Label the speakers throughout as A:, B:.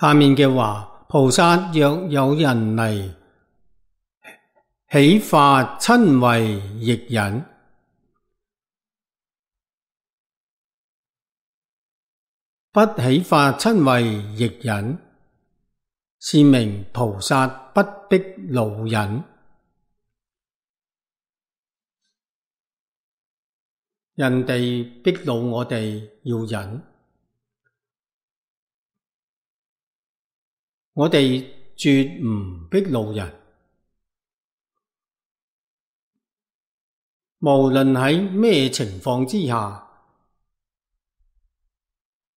A: 下面嘅話，菩薩若有人嚟，起發瞋恚亦忍。不起發瞋恚亦忍，是名菩薩不逼惱忍。人哋逼惱我哋要忍，我哋絕唔逼惱人。無論喺咩情況之下，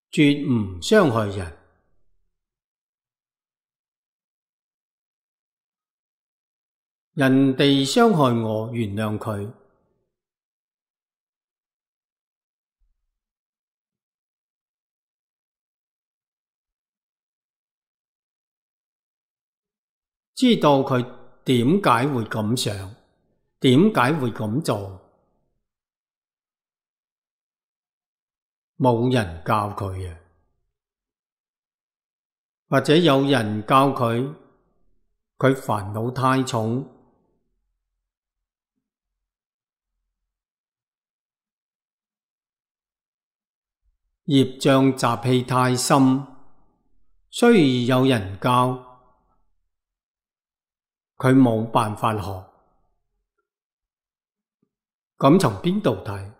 A: 絕唔傷害人。人哋傷害我，原諒佢。知道佢點解會咁想，點解會咁做，冇人教佢嘅，或者有人教佢，佢煩惱太重，業障習氣太深，雖然有人教，佢冇辦法學。咁從邊度睇？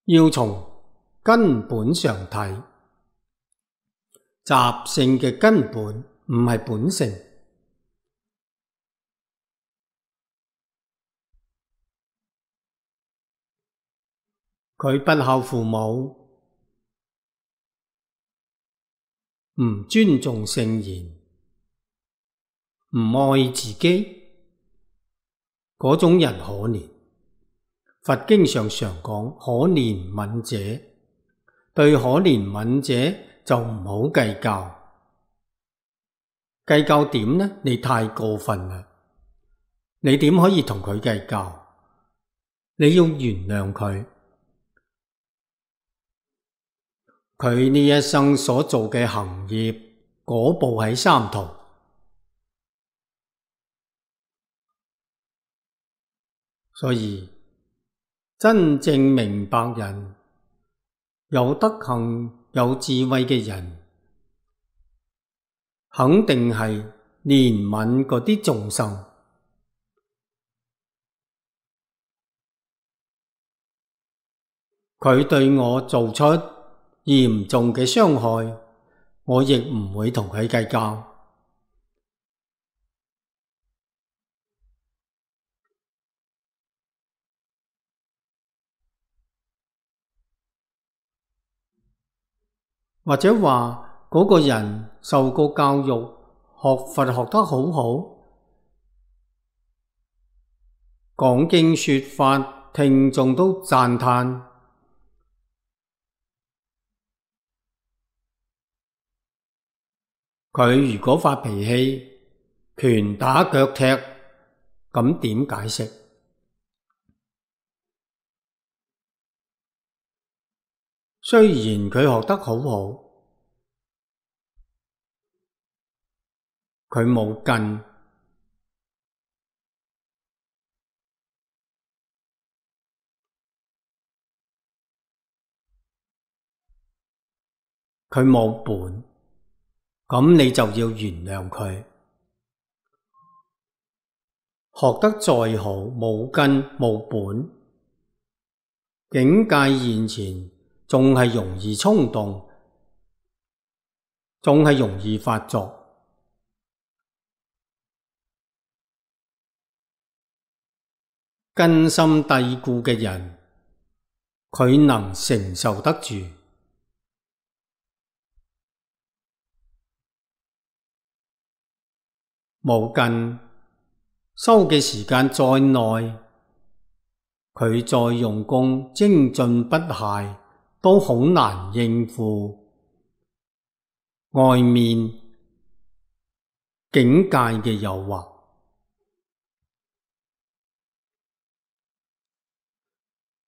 A: 要從根本上睇，習性嘅根本唔係本性。佢不孝父母，唔尊重聖賢，唔愛自己，嗰種人可憐。佛經上常講可憐憫者，對可憐憫者就唔好計較。計較點呢？你太過分啦！你點可以同佢計較？你要原諒佢。佢呢一生所做嘅行業，果報喺三途。所以真正明白人，有德行、有智慧嘅人，肯定係憐憫嗰啲眾生。佢對我做出嚴重嘅傷害，我亦唔會同佢計較。或者話嗰個人受過教育，學佛學得好好，講經說法，聽眾都讚歎。佢如果發脾氣，拳打腳踢，咁點解釋？雖然佢學得好好，佢冇根，佢冇本，咁你就要原諒佢。學得再好，冇根冇本，境界現前，仲係容易衝動，仲係容易發作。根深蒂固嘅人，佢能承受得住。冇根，修嘅時間再耐，佢再用功精進不懈，都好難應付外面境界嘅誘惑。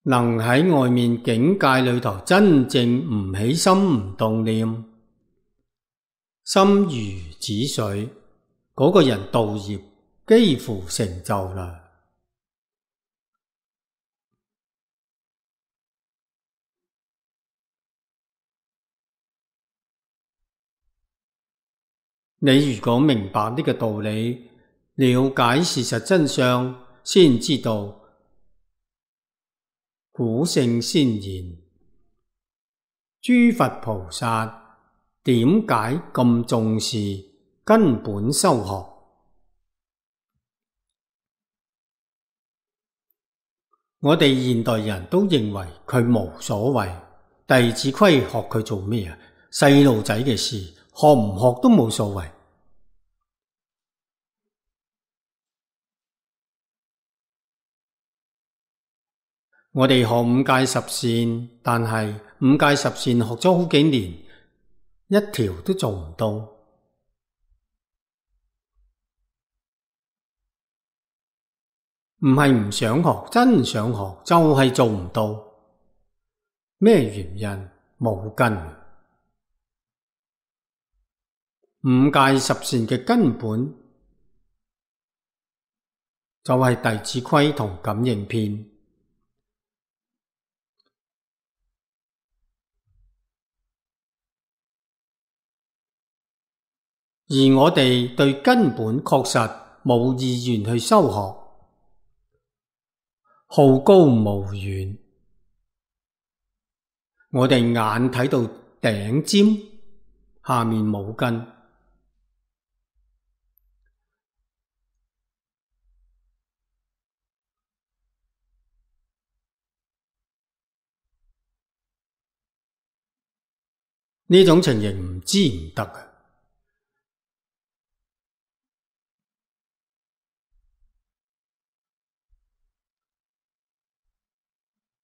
A: 能喺外面境界裏頭真正唔起心唔動念，心如止水，嗰個人道業幾乎成就啦。你如果明白呢個道理，了解事實真相，先知道古聖先言，諸佛菩薩點解咁重視根本修學。我哋現代人都認為佢無所謂，弟子規學佢做咩啊？細路仔嘅事，學唔學都冇所謂。我哋學五戒十善，但係五戒十善學咗好幾年，一條都做唔到。唔係唔想學，真想學，就係做唔到。咩原因？冇根。五戒十善嘅根本就係弟子規同感應篇。而我哋對根本確實冇意願去修學，好高騖遠。我哋眼睇到頂尖，下面冇根。呢種情形唔知唔得啊！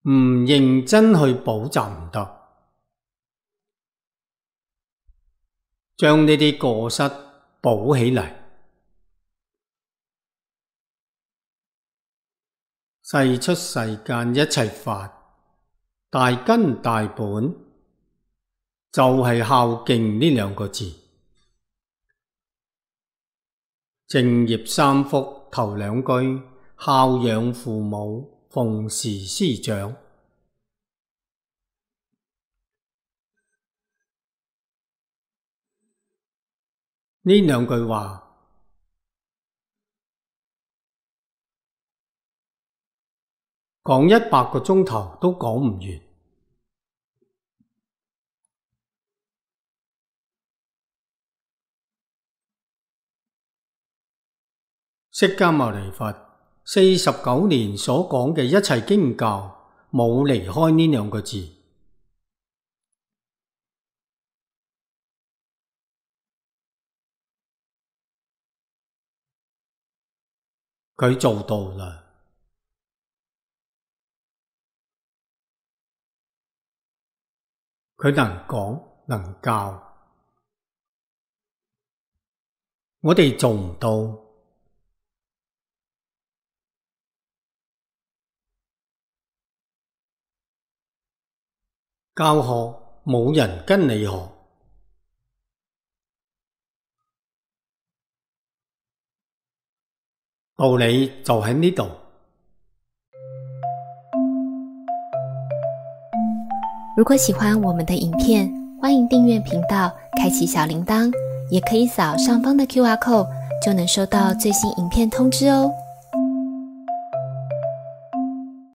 A: 唔認真去補習唔得，將呢啲過失補起嚟。世出世間一切法，大根大本，就係孝敬呢兩個字。正業三福頭兩句，孝養父母，奉事師長。呢兩句話講100個鐘頭都講唔完。釋迦牟尼佛49年所講嘅一切經教，冇離開呢兩個字。佢做到啦。佢能講能教，我哋做唔到。教學冇人跟你學，道理就喺呢度。
B: 如果喜歡我們的影片，歡迎訂閱頻道，開啟小鈴鐺，也可以掃上方的QR code，就能收到最新影片通知哦。